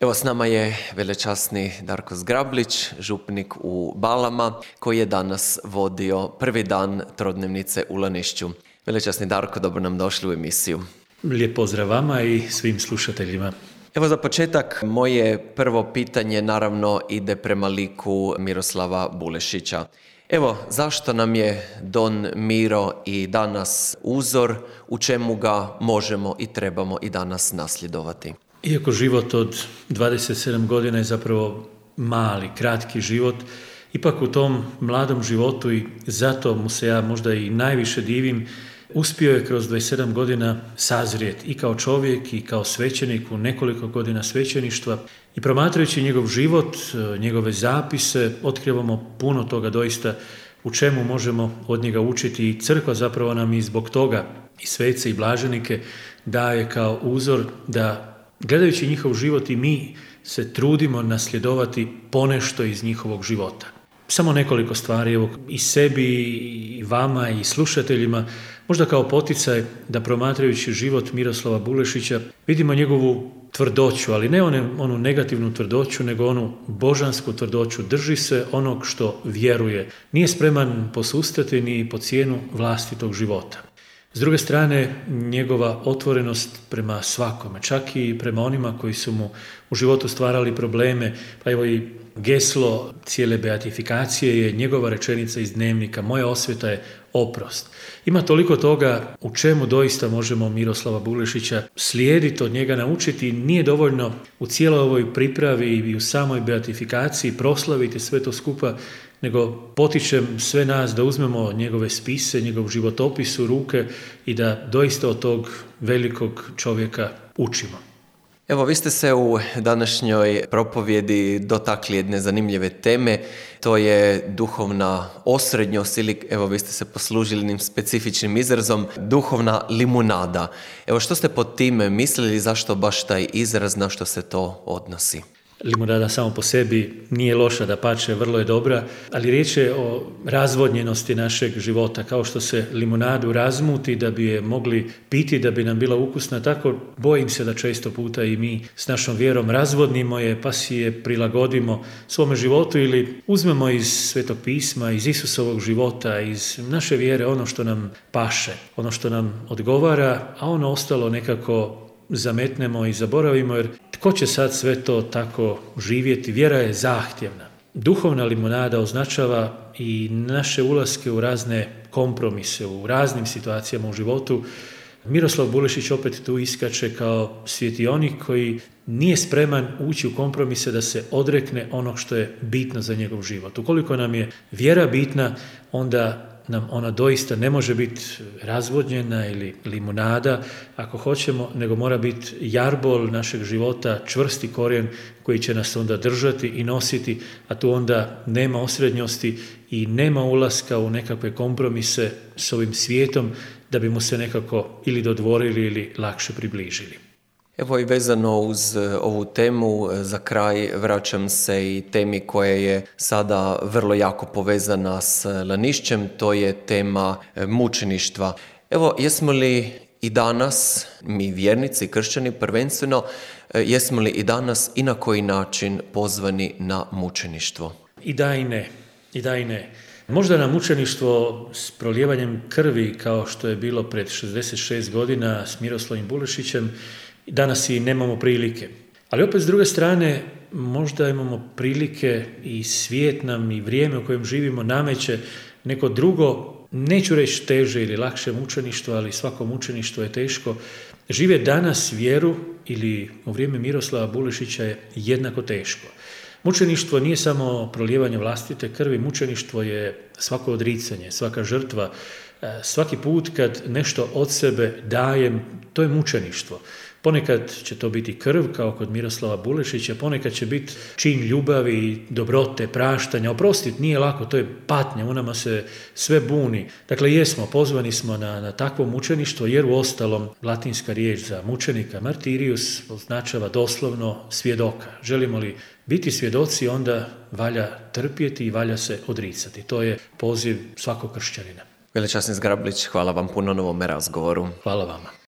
Evo s nama je velečasni Darko Zgrablić, župnik u Balama, koji je danas vodio prvi dan trodnevnice u Lanišću. Velečasni Darko, dobro nam došli u emisiju. Lijep pozdrav vama i svim slušateljima. Evo za početak, moje prvo pitanje naravno ide prema liku Miroslava Bulešića. Evo, zašto nam je Don Miro i danas uzor, u čemu ga možemo i trebamo i danas nasljedovati? Iako život od 27 godina je zapravo mali, kratki život, ipak u tom mladom životu i zato mu se ja možda i najviše divim, uspio je kroz 27 godina sazrijeti i kao čovjek i kao svećenik u nekoliko godina svećeništva i promatrajući njegov život, njegove zapise, otkrivamo puno toga doista u čemu možemo od njega učiti i crkva zapravo nam i zbog toga i svece i blaženike daje kao uzor da gledajući njihov život i mi se trudimo nasljedovati ponešto iz njihovog života. Samo nekoliko stvari, evo, i sebi, i vama, i slušateljima, možda kao poticaj da promatrajući život Miroslava Bulešića vidimo njegovu tvrdoću, ali ne onu negativnu tvrdoću, nego onu božansku tvrdoću. Drži se onog što vjeruje. Nije spreman posustati ni po cijenu vlastitog života. S druge strane, njegova otvorenost prema svakome, čak i prema onima koji su mu u životu stvarali probleme, pa evo i geslo cijele beatifikacije je njegova rečenica iz dnevnika, moja osveta je oprost. Ima toliko toga u čemu doista možemo Miroslava Bulešića slijediti, od njega naučiti. Nije dovoljno u cijeloj ovoj pripravi i u samoj beatifikaciji proslaviti sve to skupa, nego potičem sve nas da uzmemo njegove spise, njegov životopis u ruke i da doista od tog velikog čovjeka učimo. Evo, vi ste se u današnjoj propovjedi dotakli jedne zanimljive teme, to je duhovna osrednjost ili, evo, vi ste se poslužili jednim specifičnim izrazom, duhovna limunada. Evo, što ste pod time mislili, zašto baš taj izraz, na što se to odnosi? Limunada samo po sebi nije loša, dapače, vrlo je dobra, ali riječ je o razvodnjenosti našeg života. Kao što se limunadu razmuti da bi je mogli piti, da bi nam bila ukusna, tako bojim se da često puta i mi s našom vjerom razvodnimo je, pa si je prilagodimo svome životu ili uzmemo iz Svetog pisma, iz Isusovog života, iz naše vjere ono što nam paše, ono što nam odgovara, a ono ostalo nekako zametnemo i zaboravimo, jer tko će sad sve to tako živjeti? Vjera je zahtjevna. Duhovna limunada označava i naše ulaske u razne kompromise, u raznim situacijama u životu. Miroslav Bulešić opet tu iskače kao svjetionik koji nije spreman ući u kompromise da se odrekne onog što je bitno za njegov život. Ukoliko nam je vjera bitna, onda nam ona doista ne može biti razvodnjena ili limunada, ako hoćemo, nego mora biti jarbol našeg života, čvrsti korijen koji će nas onda držati i nositi, a tu onda nema osrednjosti i nema ulaska u nekakve kompromise s ovim svijetom da bi mu se nekako ili dodvorili ili lakše približili. Evo i vezano uz ovu temu, za kraj vraćam se i temi koja je sada vrlo jako povezana s Lanišćem, to je tema mučeništva. Evo, jesmo li i danas, mi vjernici, kršćani prvenstveno, jesmo li i danas i na koji način pozvani na mučeništvo? I da i ne, i da i ne. Možda na mučeništvo s prolijevanjem krvi, kao što je bilo pred 66 godina s Miroslavim Bulešićem, danas i nemamo prilike. Ali opet s druge strane, možda imamo prilike i svijet nam i vrijeme u kojem živimo nameće neko drugo, neću reći teže ili lakše mučeništvo, ali svako mučeništvo je teško. Žive danas vjeru ili u vrijeme Miroslava Bulešića je jednako teško. Mučeništvo nije samo prolijevanje vlastite krvi, mučeništvo je svako odricanje, svaka žrtva, svaki put kad nešto od sebe dajem, to je mučeništvo. Ponekad će to biti krv, kao kod Miroslava Bulešića, ponekad će biti čin ljubavi, dobrote, praštanja. Oprostiti nije lako, to je patnja, u nama se sve buni. Dakle, pozvani smo na takvo mučeništvo, jer u ostalom latinska riječ za mučenika, martirius, označava doslovno svjedoka. Želimo li biti svjedoci, onda valja trpjeti i valja se odricati. To je poziv svakog kršćanina. Velečasni Zgrablić, hvala vam puno na ovome razgovoru. Hvala vama.